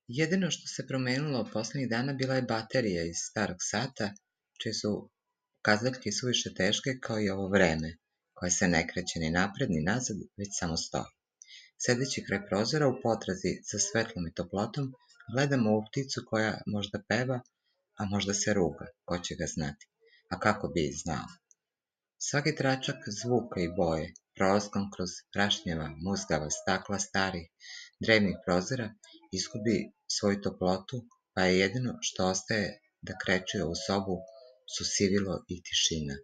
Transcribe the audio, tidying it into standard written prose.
Jedino što se promenilo poslednjih dana bila je baterija iz starog sata, čije su pokazaljke suviše teške kao i ovo vreme, koje se ne kreće ni napred ni nazad, već samo stoji. Sedeći kraj prozora u potrazi za svetlom i toplotom, gledam ovu pticu koja možda peva, a možda se ruga, ko će ga znati. A kako bi znao? Svaki tračak zvuka i boje, prolaskom kroz prašnjava, muzgava stakla starih, drevnih prozora, izgubi svoju toplotu, pa je jedino što ostaje da kreće ovu sobu su sivilo i tišina.